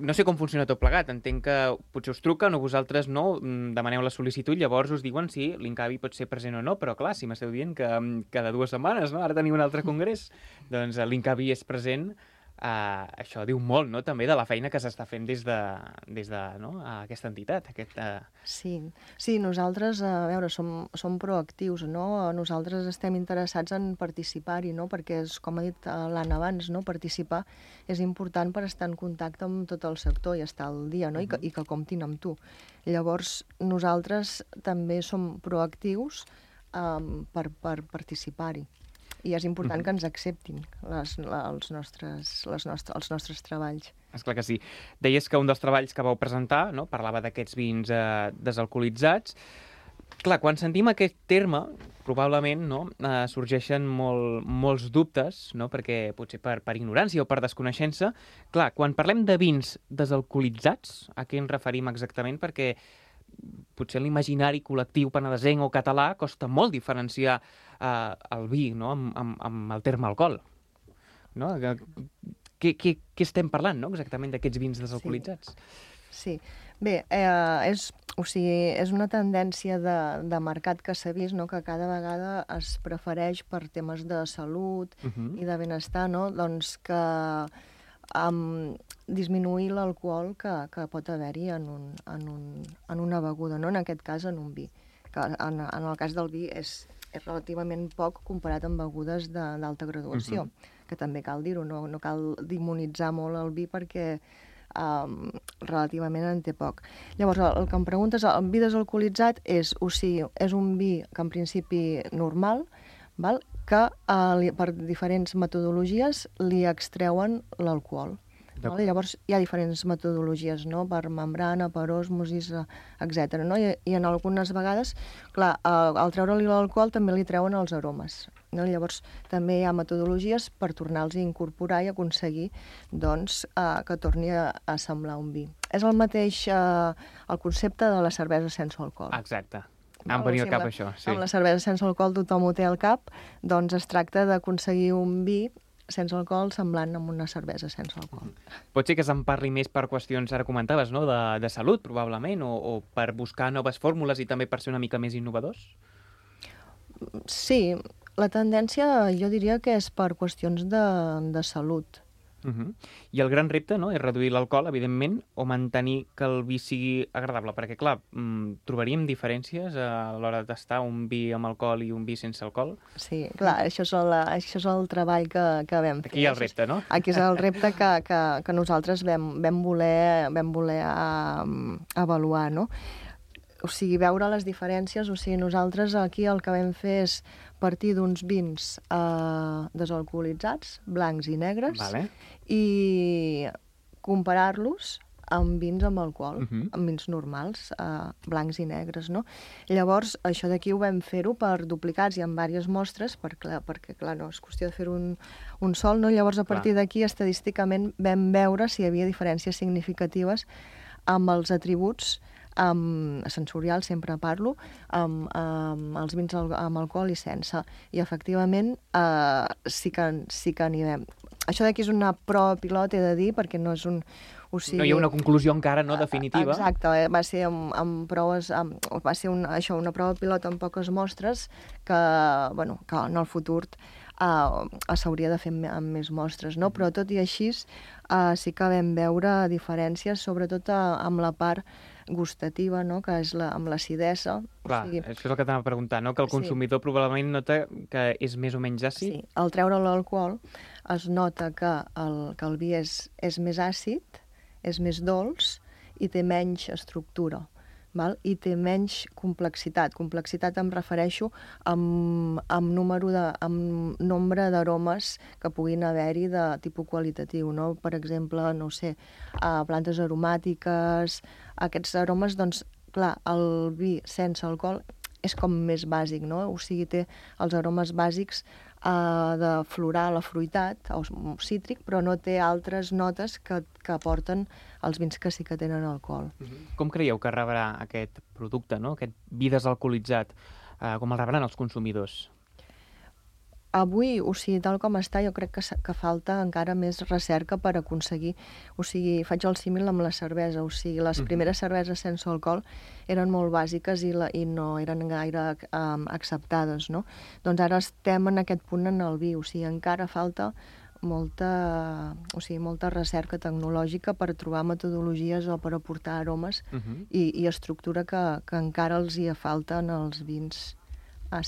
[SPEAKER 3] No sé com funciona tot plegat, entenc que potser us truquen o vosaltres no, demaneu la sol·licitud, llavors us diuen si l'Incavi pot ser present o no, però clar, si m'esteu dient que cada 2 setmanes, no?, ara teniu un altre congrés, doncs l'Incavi és present, això diu molt, no?, també de la feina que s'està fent des de aquesta entitat.
[SPEAKER 10] Sí, nosaltres, a veure, som proactius, no? Nosaltres estem interessats en participar-hi, no? Perquè, com ha dit l'Anna abans, no? Participar és important per estar en contacte amb tot el sector i estar al dia, no? I que comptin amb tu. Llavors, nosaltres també som proactius per participar-hi. I és important que ens acceptin els nostres treballs.
[SPEAKER 3] Esclar que sí. Deies que un dels treballs que vau presentar, no?, parlava d'aquests vins desalcoholitzats. Clar, quan sentim aquest terme, probablement sorgeixen molts dubtes, no?, perquè potser per ignorància o per desconeixença. Clar, quan parlem de vins desalcoholitzats, a què ens referim exactament? Perquè potser en l'imaginari col·lectiu penedesenc o català costa molt diferenciar el vi, no?, amb el terme alcohol. No? Què estem parlant, no?, exactament d'aquests vins desalcoholitzats?
[SPEAKER 10] Sí. Bé, és una tendència de mercat que s'ha vist, no?, que cada vegada es prefereix per temes de salut i de benestar, no?, doncs que disminuir l'alcohol que pot haver-hi en una beguda, no?, en aquest cas en un vi. Que en el cas del vi és relativament poc comparat amb begudes d'alta graduació, que també cal dir-ho, no cal demonitzar molt el vi perquè relativament en té poc. Llavors, el que em preguntes, el vi desalcoholitzat és un vi que en principi normal, val? Que per diferents metodologies li extreuen l'alcohol. Llavors hi ha diferents metodologies, no? Per membrana, per osmosis, etc. No? I en algunes vegades, clar, al treure-li l'alcohol també li treuen els aromes. No? Llavors també hi ha metodologies per tornar-los a incorporar i aconseguir doncs, que torni a semblar un vi. És el mateix el concepte de la cervesa sense alcohol.
[SPEAKER 3] Exacte. Em venia al cap això, sí.
[SPEAKER 10] Amb la cervesa sense alcohol tothom ho té al cap, doncs es tracta d'aconseguir un vi sense alcohol semblant amb una cervesa sense alcohol.
[SPEAKER 3] Pot ser que se'n parli més per qüestions, ara comentaves, no? de salut, probablement, o per buscar noves fórmules i també per ser una mica més innovadors?
[SPEAKER 10] Sí, la tendència jo diria que és per qüestions de salut.
[SPEAKER 3] I el gran repte, no?, és reduir l'alcohol, evidentment, o mantenir que el vi sigui agradable, perquè, clar, trobaríem diferències a l'hora de tastar un vi amb alcohol i un vi sense alcohol?
[SPEAKER 10] Sí, clar, això és el treball que vam fer.
[SPEAKER 3] Aquí hi ha el repte, no?
[SPEAKER 10] Aquí és el repte que nosaltres vam voler avaluar, no? O sigui, veure les diferències, o sigui, nosaltres aquí el que vam fer és partir d'uns vins desalcoholitzats, blancs i negres, i comparar-los amb vins amb alcohol, amb vins normals, blancs i negres, no? Llavors, això d'aquí ho vam fer-ho per duplicats i amb diverses mostres, perquè, clar, no és qüestió de fer un sol, no? Llavors, a partir d'aquí, estadísticament, vam veure si hi havia diferències significatives amb els atributs sensorial, sempre parlo, amb els vins amb alcohol i sense. I, efectivament, sí que n'hi vam. Això d'aquí és una prova pilot, he de dir, perquè no és un...
[SPEAKER 3] No hi ha una conclusió encara, no, definitiva.
[SPEAKER 10] Exacte, va ser amb proves... Va ser una prova pilot amb poques mostres que en el futur s'hauria de fer amb més mostres, no? Però tot i així sí que vam veure diferències, sobretot amb la part gustativa, no? Que és amb l'acidesa.
[SPEAKER 3] Clar, això és el que t'anava a preguntar, no? Que el consumidor probablement nota que és més o menys àcid.
[SPEAKER 10] Sí, al treure l'alcohol es nota que el vi és més àcid, és més dolç i té menys estructura. Val? I té menys complexitat. Complexitat em refereixo amb nombre d'aromes que puguin haver-hi de tipus qualitatiu, no? Per exemple, no sé, plantes aromàtiques, aquests aromes, doncs, clar, el vi sense alcohol és com més bàsic, no? O sigui, té els aromes bàsics de floral, afruitat o cítric, però no té altres notes que aporten els vins que sí que tenen alcohol.
[SPEAKER 3] Com creieu que rebrà aquest producte, no? Aquest vi desalcoholitzat? Com el rebran els consumidors?
[SPEAKER 10] Avui, o sigui, tal com està, jo crec que falta encara més recerca per aconseguir... O sigui, faig el símil amb la cervesa, o sigui, les primeres cerveses sense alcohol eren molt bàsiques i no eren gaire acceptades, no? Doncs ara estem en aquest punt en el vi, o sigui, encara falta molta recerca tecnològica per trobar metodologies o per aportar aromes i estructura que encara els hi falten als vins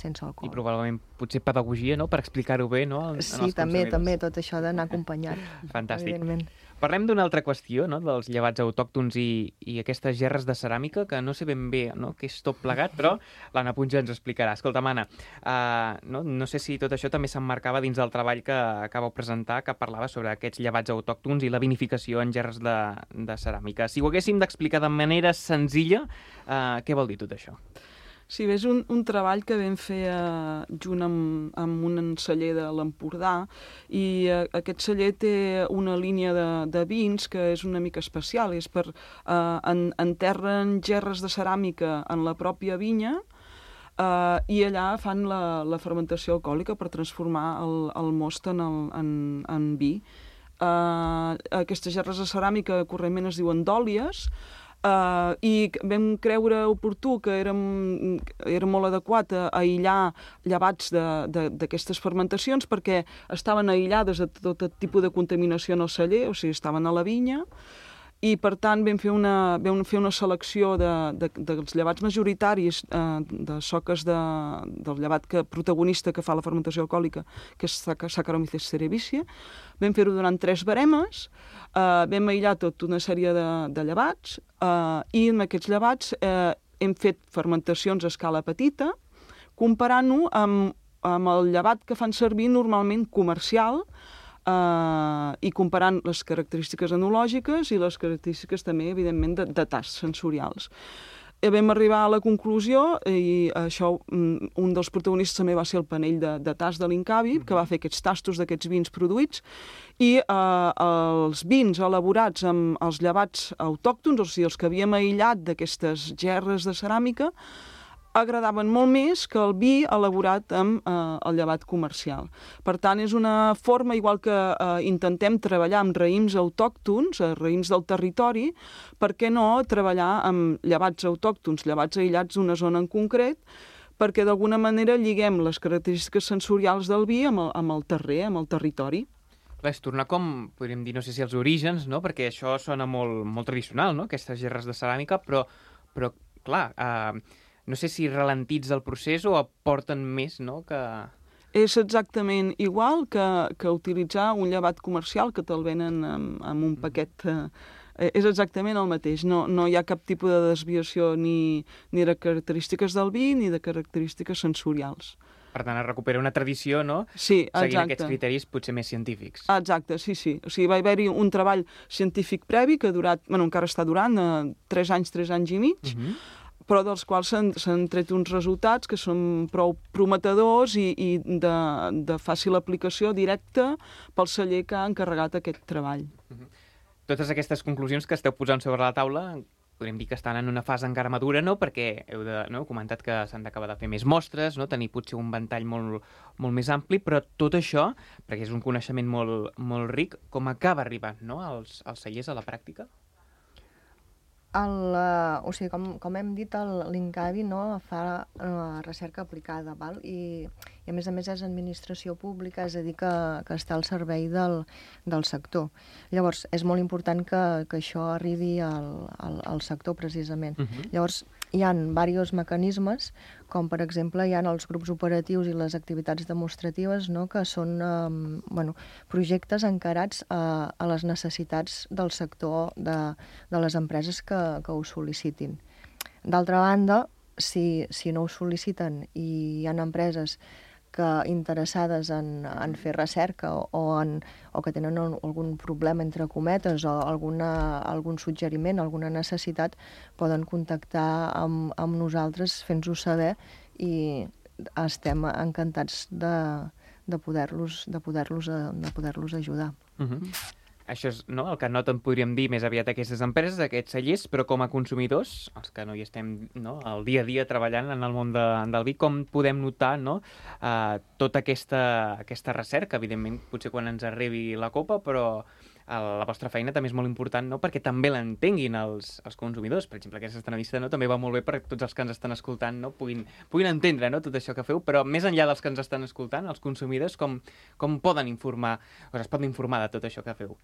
[SPEAKER 10] sense alcohol.
[SPEAKER 3] I probablement potser pedagogia, no?, per explicar-ho bé, no?,
[SPEAKER 10] Sí, també, tot això d'anar acompanyat.
[SPEAKER 3] Fantàstic. Parlem d'una altra qüestió, no?, dels llevats autòctons i aquestes gerres de ceràmica, que no sé ben bé, no?, què és tot plegat, però l'Anna Puig ens ho explicarà. Escolta, Anna, no sé si tot això també s'emmarcava dins del treball que acabeu presentar, que parlava sobre aquests llevats autòctons i la vinificació en gerres de ceràmica. Si ho haguéssim d'explicar de manera senzilla, què vol dir tot això?
[SPEAKER 9] Sí, és un treball que vam fer junt amb un celler de l'Empordà, i aquest celler té una línia de vins que és una mica especial, és per enterren gerres de ceràmica en la pròpia vinya i allà fan la fermentació alcohòlica per transformar el most en vi. Aquestes gerres de ceràmica correntment es diuen dòlies, i vam creure oportú que era molt adequat a aïllar llevats d'aquestes fermentacions perquè estaven aïllades de tot tipus de contaminació en el celler, o sigui, estaven a la vinya, i per tant vam fer una selecció dels llevats majoritaris de soques del llevat protagonista que fa la fermentació alcohòlica, que és Saccharomyces cerevisiae. Vam fer-ho durant 3 baremes, vam aïllar tota una sèrie de llevats i en aquests llevats hem fet fermentacions a escala petita, comparant-ho amb el llevat que fan servir normalment comercial, i comparant les característiques enològiques i les característiques també, evidentment, de tasts sensorials. Vam arribar a la conclusió, i això, un dels protagonistes també va ser el panell de tast de l'Incavi, que va fer aquests tastos d'aquests vins produïts, i els vins elaborats amb els llevats autòctons, o sigui, els que havíem aïllat d'aquestes gerres de ceràmica, agradaven molt més que el vi elaborat amb el llevat comercial. Per tant, és una forma, igual que intentem treballar amb raïms autòctons, raïms del territori, per què no treballar amb llevats autòctons, llevats aïllats d'una zona en concret, perquè d'alguna manera lliguem les característiques sensorials del vi amb el terrer, amb el territori.
[SPEAKER 3] És tornar com, podríem dir, no sé si els orígens, no? Perquè això sona molt tradicional, no? Aquestes gerres de ceràmica, però clar, no sé si ralentitza el procés o aporten més, no?
[SPEAKER 9] És exactament igual que utilitzar un llevat comercial que te'l venen amb un paquet. És exactament el mateix. No hi ha cap tipus de desviació ni de característiques del vi ni de característiques sensorials.
[SPEAKER 3] Per tant, es recupera una tradició, no?
[SPEAKER 9] Sí, exacte.
[SPEAKER 3] Seguint aquests criteris potser més científics.
[SPEAKER 9] Exacte, sí. O sigui, va haver-hi un treball científic previ que ha durat, encara està durant, 3 anys i mig, però dels quals s'han tret uns resultats que són prou prometedors i de fàcil aplicació directa pel celler que ha encarregat aquest treball.
[SPEAKER 3] Totes aquestes conclusions que esteu posant sobre la taula podríem dir que estan en una fase encara madura, no? Perquè heu comentat que s'han d'acabar de fer més mostres, no? Tenir potser un ventall molt més ampli, però tot això, perquè és un coneixement molt ric, com acaba arribant, no? als cellers a la pràctica?
[SPEAKER 10] O sigui, com hem dit, l'Incavi fa recerca aplicada, val? I a més és administració pública, és a dir, que està al servei del sector. Llavors, és molt important que això arribi al sector, precisament. Llavors, hi ha diversos mecanismes, com per exemple hi ha els grups operatius i les activitats demostratives, no? Que són projectes encarats a les necessitats del sector de les empreses que ho sol·licitin. D'altra banda, si no ho sol·liciten i hi ha empreses interessades en fer recerca o que tenen algun problema, entre cometes, o algun suggeriment, alguna necessitat, poden contactar amb nosaltres fent-nos saber i estem encantats de poder-los ajudar.
[SPEAKER 3] Això és el que noten, podríem dir, més aviat aquestes empreses, aquests cellers, però com a consumidors, els que no hi estem el dia a dia treballant en el món del vi, com podem notar tota aquesta recerca? Evidentment, potser quan ens arribi la copa, però la vostra feina també és molt important, perquè també l'entenguin els consumidors. Per exemple, aquesta entrevista també va molt bé perquè tots els que ens estan escoltant puguin entendre tot això que feu, però més enllà dels que ens estan escoltant, els consumidors com poden informar, o es poden informar de tot això que feu?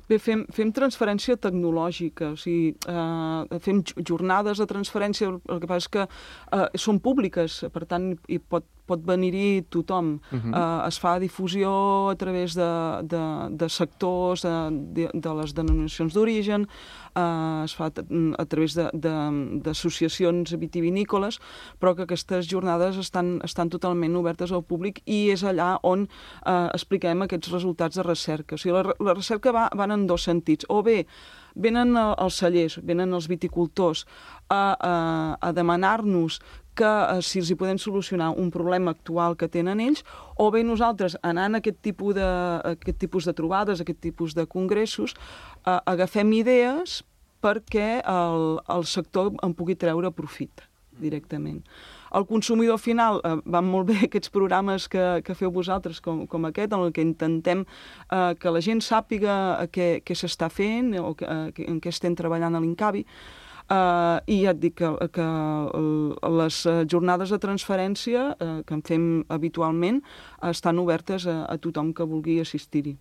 [SPEAKER 9] Bé, fem transferència tecnològica, o sigui, fem jornades de transferència, el que passa és que són públiques, per tant, hi pot venir-hi tothom. Es fa difusió a través de sectors, de les denominacions d'origen, es fa a través d'associacions vitivinícoles, però que aquestes jornades estan totalment obertes al públic i és allà on expliquem aquests resultats de recerca. O sigui, la recerca van en 2 sentits. O bé, venen els cellers, venen els viticultors a demanar-nos que si els hi podem solucionar un problema actual que tenen ells, o bé nosaltres, anant a aquest tipus de trobades, aquest tipus de congressos, agafem idees perquè el sector en pugui treure profit directament. El consumidor final, van molt bé aquests programes que feu vosaltres com aquest, en què intentem que la gent sàpiga què s'està fent o en què estem treballant a l'Incavi. I ja et dic que les jornades de transferència que en fem habitualment estan obertes a tothom que vulgui assistir-hi.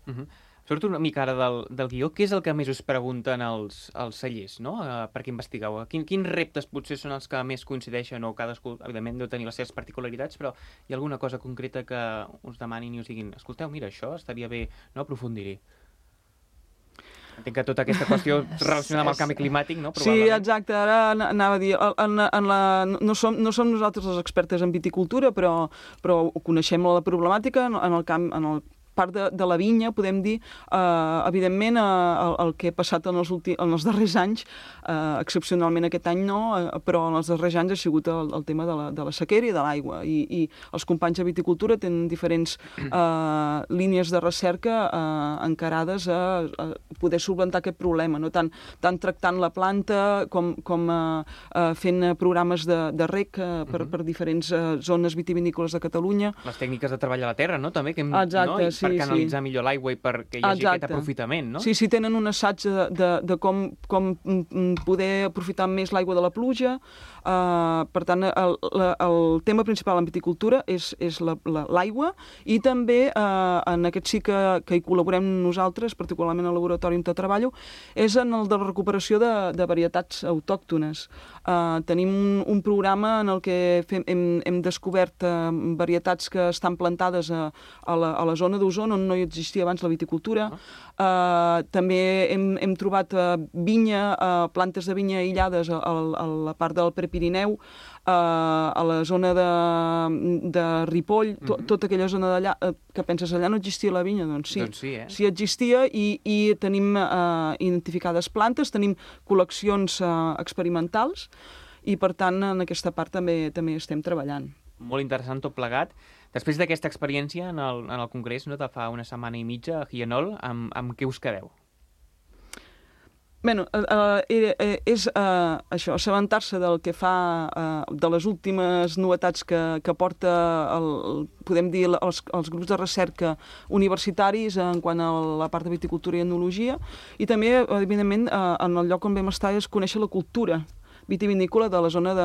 [SPEAKER 3] Surto una mica ara del guió. Què és el que més us pregunten els cellers, no? Perquè investigueu. Quins reptes potser són els que més coincideixen o cadascú, evidentment, deu tenir les seves particularitats, però hi ha alguna cosa concreta que us demanin i us diguin escolteu, mira, això estaria bé no aprofundir-hi. Entenc que tota aquesta qüestió relacionada amb el canvi climàtic, no?
[SPEAKER 9] Sí, exacte. Ara anava a dir, no som nosaltres les expertes en viticultura, però coneixem la problemàtica en el part de la vinya, podem dir, evidentment, el que ha passat en els darrers anys, excepcionalment aquest any no, però en els darrers anys ha sigut el tema de la sequera i de l'aigua. I els companys de viticultura tenen diferents línies de recerca encarades a poder solventar aquest problema, no? Tant tractant la planta com fent programes de rec per diferents zones vitivinícoles de Catalunya.
[SPEAKER 3] Les tècniques de treball a la terra, no? També,
[SPEAKER 9] exacte, sí.
[SPEAKER 3] Per canalitzar millor l'aigua i perquè hi hagi aquest aprofitament, no?
[SPEAKER 9] Sí, tenen un assaig de com poder aprofitar més l'aigua de la pluja. Per tant, el tema principal en viticultura és l'aigua i també, en aquest sí que hi col·laborem nosaltres, particularment al laboratori on treballo, és en el de la recuperació de varietats autòctones. Tenim un programa en el que hem descobert varietats que estan plantades a la zona d'Osona, on no hi existia abans la viticultura. També hem trobat plantes de vinya aïllades a la part del Prepirineu, a la zona de Ripoll, tota aquella zona d'allà, que penses, allà no existia la vinya? Doncs sí, sí existia i tenim identificades plantes, tenim col·leccions experimentals i, per tant, en aquesta part també estem treballant.
[SPEAKER 3] Molt interessant tot plegat. Després d'aquesta experiència en el congrés, no, de fa una setmana i mitja a Hienol, amb què us quedeu?
[SPEAKER 9] Bé, és això, assabentar-se del que fa, de les últimes novetats que porta, podem dir, els grups de recerca universitaris en quant a la part de viticultura i enologia, i també, evidentment, en el lloc on vam estar és conèixer la cultura vitivinícola de la zona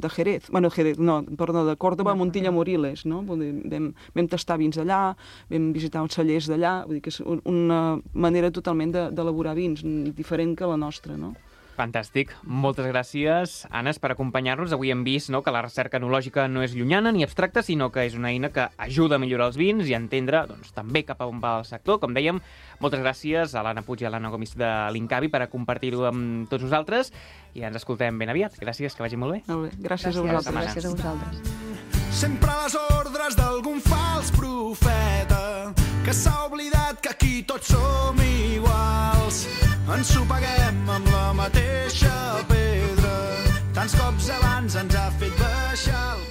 [SPEAKER 9] de Jerez. De Córdoba, Montilla, Moriles, no? Vam tastar vins d'allà, vam visitar uns cellers d'allà, vull dir que és una manera totalment d'elaborar vins, diferent que la nostra, no?
[SPEAKER 3] Fantàstic. Moltes gràcies, Annes, per acompanyar-nos. Avui hem vist que la recerca enològica no és llunyana ni abstracta, sinó que és una eina que ajuda a millorar els vins i a entendre també cap a on va el sector. Com dèiem, moltes gràcies a l'Anna Puig i a l'Anna Gomis de l'Incavi per compartir-ho amb tots nosaltres i ens escoltem ben aviat. Gràcies, que vagi molt bé.
[SPEAKER 9] Molt bé. Gràcies a vosaltres.
[SPEAKER 10] Gràcies a vosaltres.
[SPEAKER 11] Sempre a les ordres d'algun fals profeta que s'ha oblidat que aquí tots som iguals. Ens ho paguem amb la mateixa pedra. Tants cops abans ens ha fet baixar el